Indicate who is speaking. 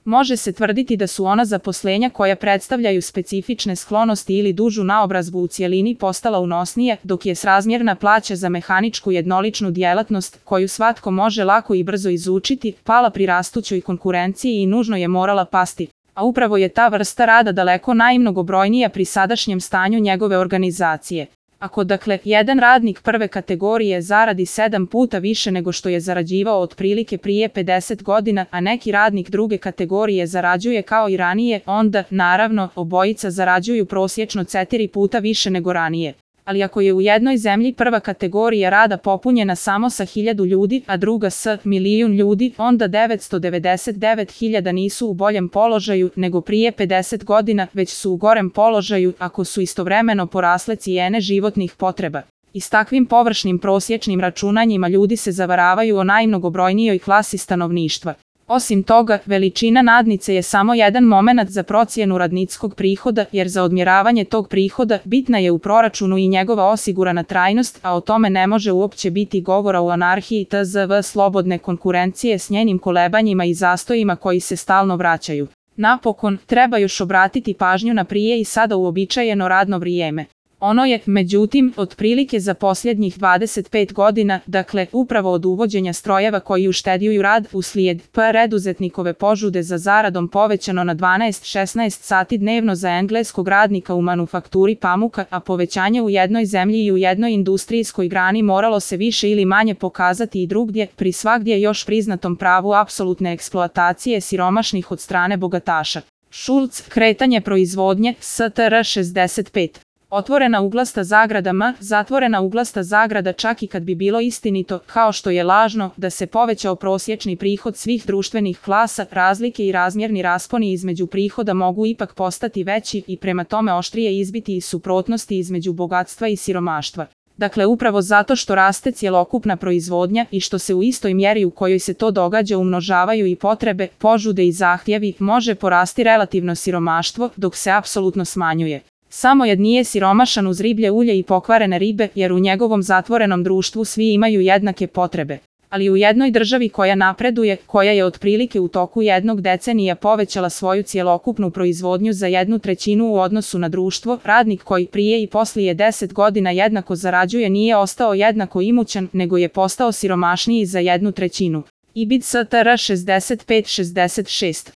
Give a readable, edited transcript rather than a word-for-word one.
Speaker 1: Može se tvrditi da su ona zaposlenja koja predstavljaju specifične sklonosti ili dužu naobrazbu u cijelini postala unosnije, dok je srazmjerna plaća za mehaničku jednoličnu djelatnost, koju svatko može lako i brzo izučiti, pala pri rastućoj konkurenciji i nužno je morala pasti. A upravo je ta vrsta rada daleko najmnogobrojnija pri sadašnjem stanju njegove organizacije. Ako dakle, jedan radnik prve kategorije zaradi 7 puta više nego što je zarađivao otprilike prije 50 godina, a neki radnik druge kategorije zarađuje kao i ranije, onda, naravno, obojica zarađuju prosječno 4 puta više nego ranije. Ali ako je u jednoj zemlji prva kategorija rada popunjena samo sa 1000 ljudi, a druga s 1.000.000 ljudi, onda 999.000 nisu u boljem položaju nego prije 50 godina, već su u gorem položaju ako su istovremeno porasle cijene životnih potreba. I s takvim površnim prosječnim računanjima ljudi se zavaravaju o najmnogobrojnijoj klasi stanovništva. Osim toga, veličina nadnice je samo jedan momenat za procjenu radničkog prihoda, jer za odmjeravanje tog prihoda bitna je u proračunu i njegova osigurana trajnost, a o tome ne može uopće biti govora u anarhiji tzv. Slobodne konkurencije s njenim kolebanjima i zastojima koji se stalno vraćaju. Napokon, treba još obratiti pažnju na prije i sada uobičajeno radno vrijeme. Ono je, međutim, otprilike za posljednjih 25 godina, dakle, upravo od uvođenja strojeva koji ušteđuju rad, uslijed preduzetnikove požude za zaradom povećano na 12-16 sati dnevno za engleskog radnika u manufakturi pamuka, a povećanje u jednoj zemlji i u jednoj industrijskoj grani moralo se više ili manje pokazati i drugdje, pri svagdje još priznatom pravu apsolutne eksploatacije siromašnih od strane bogataša. Schulz, kretanje proizvodnje, STR 65. Otvorena uglasta zagrada M, zatvorena uglasta zagrada. Čak i kad bi bilo istinito, kao što je lažno, da se povećao prosječni prihod svih društvenih klasa, razlike i razmjerni rasponi između prihoda mogu ipak postati veći i prema tome oštrije izbiti iz suprotnosti između bogatstva i siromaštva. Dakle, upravo zato što raste cjelokupna proizvodnja i što se u istoj mjeri u kojoj se to događa umnožavaju i potrebe, požude i zahtjevi, može porasti relativno siromaštvo, dok se apsolutno smanjuje. Samojed nije siromašan uz riblje ulje i pokvarene ribe, jer u njegovom zatvorenom društvu svi imaju jednake potrebe. Ali u jednoj državi koja napreduje, koja je otprilike u toku jednog decenija povećala svoju cjelokupnu proizvodnju za 1/3 u odnosu na društvo, radnik koji prije i poslije 10 godina jednako zarađuje nije ostao jednako imućan, nego je postao siromašniji za 1/3. IBID STR 65-66